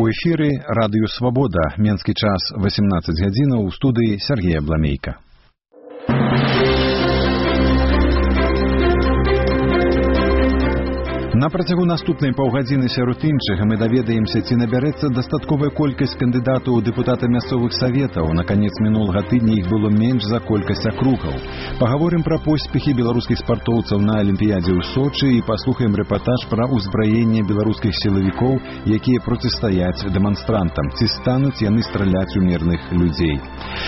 У эфіры радыё «Свабода», менскі час 18 гадзінаў, у студыі Сергея Бламейка. На працягу наступнай паўгадзіны сярод іншага мы даведаемся, ці набярэцца дастатковая колькасць кандыдатаў у дэпутаты мясцовых саветаў. На канец мінулага тыдня іх было менш за колькасць акругаў. Пагаворым пра поспехі беларускіх спартоўцаў на Алімпіядзе ў Сочы і паслухаем рэпартаж пра ўзбраенне беларускіх сілавікоў, якія процістаяць дэманстрантам. Ці стануць яны страляць у мірных людзей.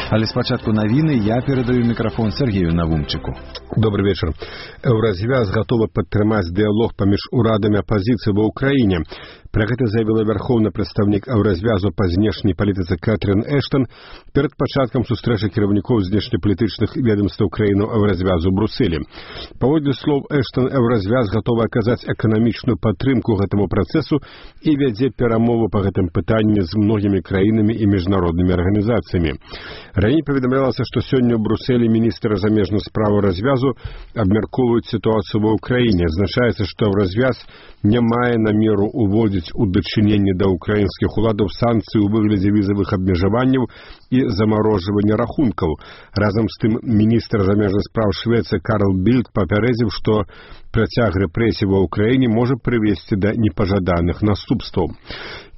Але спачатку навіны, я перадаю мікрафон Сергею Навумчыку. Добрый вечер. Еўразвяз гатовы падтрымаць дыялог паміж урадамі апазіцыі ва ўкраіне. Пра гэта заявіла вярхоўны прадстаўнік еўразвязу па знешняй палітыцы Кэтрин Эштон перад пачаткам сустрэчы кіраўнікоў знешнепалітычных ведомстваў краінаў еўразвязу ў Брусэлі. Паводле слоў Эштон, еўразвяз гатовы аказаць эканамічную падтрымку гэтаму працэсу і вядзе перамовы па гэтым пытанні з многімі краінамі і міжнароднымі арганізацыямі. Раней паведамлялася, што сёння ў Брусэлі міністр замежных спраў еўразвязу абмяркоўваюць сітуацыю ва ўкраіне. Азначаецца, што еўразвяз не мае намеру уводзіць у дачыненні да ўкраінскіх уладаў санкцыі ў выглядзе візавых абмежаванняў і замарожвання рахункаў. Разам з тым, міністр замежных спраў Швецыі Карл Більд папярэдзіў, што працяг рэпрэсій ва ўкраіне можа прывесці да непажаданых наступстваў.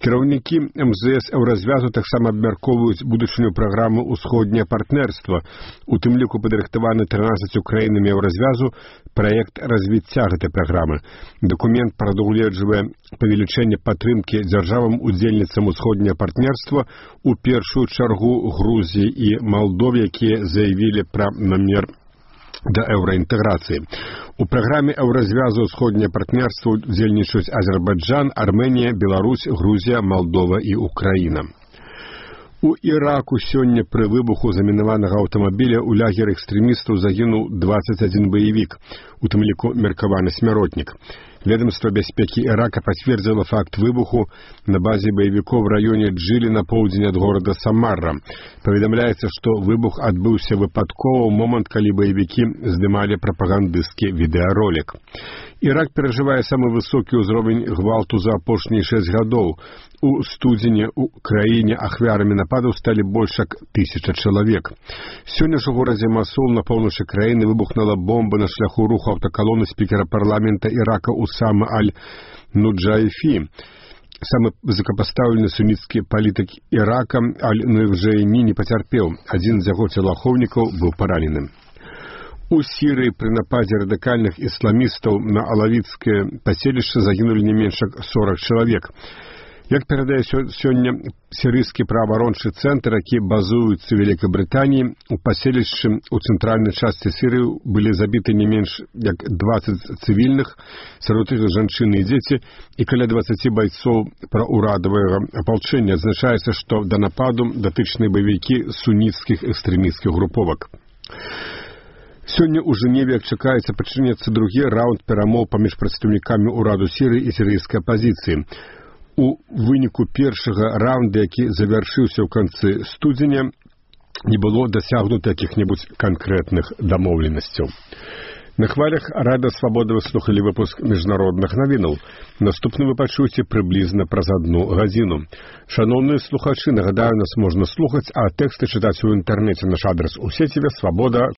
Кіраўнікі МЗС еўразвязу таксама абмяркоўваюць будучыню праграмы «Усходняе партнерства». У тым ліку падрыхтаваны 13 краінамі еўразвязу праект развіцця гэтай праграмы. Дакумент прадугледжвае павелічэнне падтрымкі дзяржавам-удзельніцам «Усходняе партнерства», у першую чаргу Грузіі і Малдове, якія заявілі пра намер да еўраінтэграцыі. У праграме еўразвязу «Усходняе партнерства» удзельнічаюць Азербайджан, Арменія, Беларусь, Грузія, Малдова і Украіна. У Іраку сёння пры выбуху замінаванага аўтамабіля ў лагеры экстрэмістаў загінуў 21 баевік, у тым ліку меркаваны смяротнік. Ведомство бяспекі Ірака пацвердзіла факт выбуху на базе баевікоў в раёне Джылі на поўдзень ад горада Самара. Паведамляецца, што выбух адбыўся выпадкова ў момант, калі баевікі здымалі прапагандысцкі відэаролік. Ірак перажывае самы высокі ўзровень гвалту за апошнія 6 гадоў. У студзені ў краіне ахвярамі нападаў сталі больш як 1000 чалавек. Сёння ж у горадзе Масул на поўначы краіны выбухнула бомба на шляху руху аўтакалоны спікера парламента Ірака Усама Аль-Нуджайфі. Самы высокапастаўлены суніцкі палітык Ірака Аль-Нуджайні не пацярпеў. Адзін з яго целаахоўнікаў быў паранены. У Сірыі пры нападзе радыкальных ісламістаў на алавіцкае паселішча загінулі не менш як 40 чалавек. Як перадае сёння сірыйскі праваабарончы цэнтр, які базуецца ў Вялікай Брытаніі, у паселішчы ў цэнтральнай частцы Сірыі былі забіты не менш як 20 цывільных, сярод іх жанчыны і дзеці, і каля 20 байцоў праўрадавага апалчэння. Адзначаецца, што да нападу датычныя баевікі суніцкіх экстрэмісцкіх груповак. Сёння ў Жэневе чакаецца пачнецца другі раунд перамоў паміж прадстаўнікамі ўраду Сірыі і сірыйскай апазіцыі. У выніку першага раунда, які завяршыўся ў канцы студзеня, не было дасягнута якіх-небудзь канкрэтных дамоўленасцяў. На хвалях Радыё Свабода вы слухалі выпуск міжнародных навінаў. Наступны вы пачуеце прыблізна праз 1 гадзіну. Шаноўныя слухачы, нагадаю, нас можна слухаць, а тэксты чытаць у інтэрнэце. Наш адрас у сеціве свабода.орг.